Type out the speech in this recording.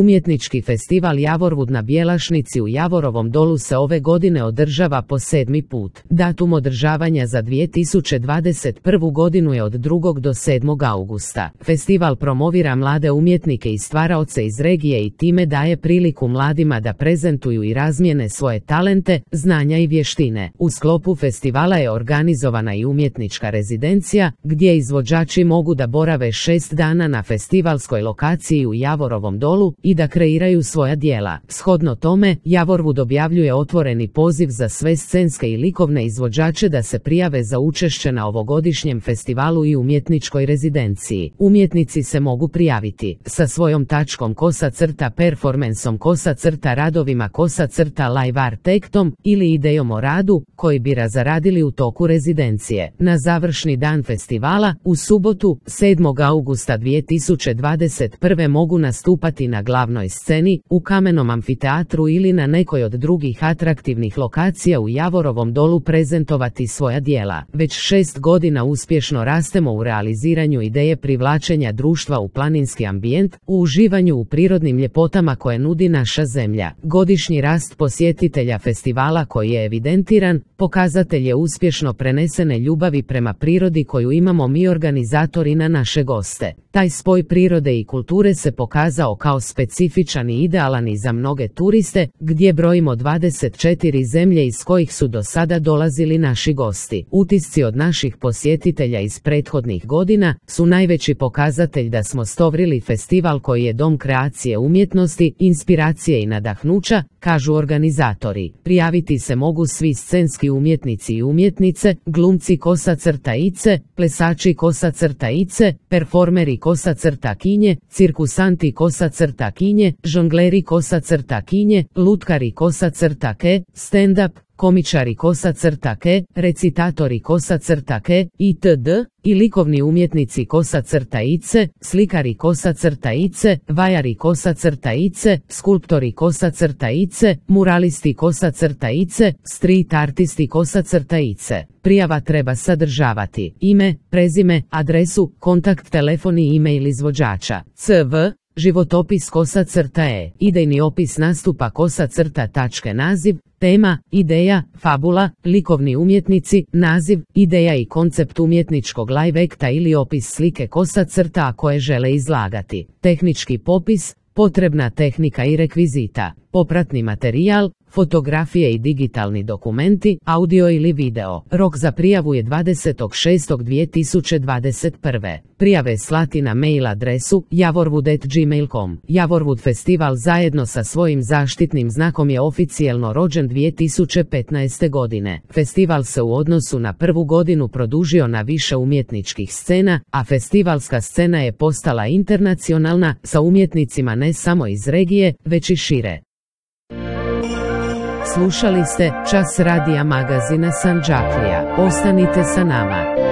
Umjetnički festival Javorvud na Bjelašnici u Javorovom Dolu se ove godine održava po 7. put. Datum održavanja za 2021. godinu je od 2. do 7. augusta. Festival promovira mlade umjetnike i stvaraoce iz regije i time daje priliku mladima da prezentuju i razmijene svoje talente, znanja i vještine. U sklopu festivala je organizovana i umjetnička rezidencija, gdje izvođači mogu da borave 6 dana na festivalskoj lokaciji u Javorovom Dolu i da kreiraju svoja djela. Shodno tome, Javorvud objavljuje otvoreni poziv za sve scenske i likovne izvođače da se prijave za učešće na ovogodišnjem festivalu i umjetničkoj rezidenciji. Umjetnici se mogu prijaviti sa svojom tačkom _performanceom radovima live artektom ili idejom o radu koji bi zaradili u toku rezidencije. Na završni dan festivala, u subotu, 7. augusta 2021. mogu nastupati na glavnoj sceni, u Kamenom amfiteatru ili na nekoj od drugih atraktivnih lokacija u Javorovom Dolu prezentovati svoja djela. Već 6 godina uspješno rastemo u realiziranju ideje privlačenja društva u planinski ambijent, u uživanju u prirodnim ljepotama koje nudi naša zemlja. Godišnji rast posjetitelja festivala koji je evidentiran, pokazatelj je uspješno prenesene ljubavi prema prirodi koju imamo mi organizatori na naše goste. Taj spoj prirode i kulture se pokazao kao specifičan i idealan i za mnoge turiste, gdje brojimo 24 zemlje iz kojih su do sada dolazili naši gosti. Utisci od naših posjetitelja iz prethodnih godina su najveći pokazatelj da smo stvorili festival koji je dom kreacije umjetnosti, inspiracije i nadahnuća, kažu organizatori. Prijaviti se mogu svi scenski umjetnici i umjetnice, glumci _ice, plesači _ice, performeri _kinje, cirkusanti _kinje, žongleri _kinje, lutkari _ke, stand-up, komičari _ke, recitatori _ke, itd. i likovni umjetnici _ice, slikari _ice, vajari _ice, skulptori _ice, muralisti _ice, street artisti _ice. Prijava treba sadržavati ime, prezime, adresu, kontakt, telefon i e-mail izvođača, cv, životopis _e, idejni opis nastupa tačke naziv, tema, ideja, fabula, likovni umjetnici, naziv, ideja i koncept umjetničkog live akta ili opis slike a koje žele izlagati. Tehnički popis, potrebna tehnika i rekvizita, popratni materijal, fotografije i digitalni dokumenti, audio ili video. Rok za prijavu je 20.6.2021. Prijave slati na mail adresu javorvud@gmail.com. Javorvud festival zajedno sa svojim zaštitnim znakom je oficijelno rođen 2015. godine. Festival se u odnosu na prvu godinu produžio na više umjetničkih scena, a festivalska scena je postala internacionalna sa umjetnicima ne samo iz regije, već i šire. Slušali ste Čas radija magazina Sandžaklija. Ostanite sa nama.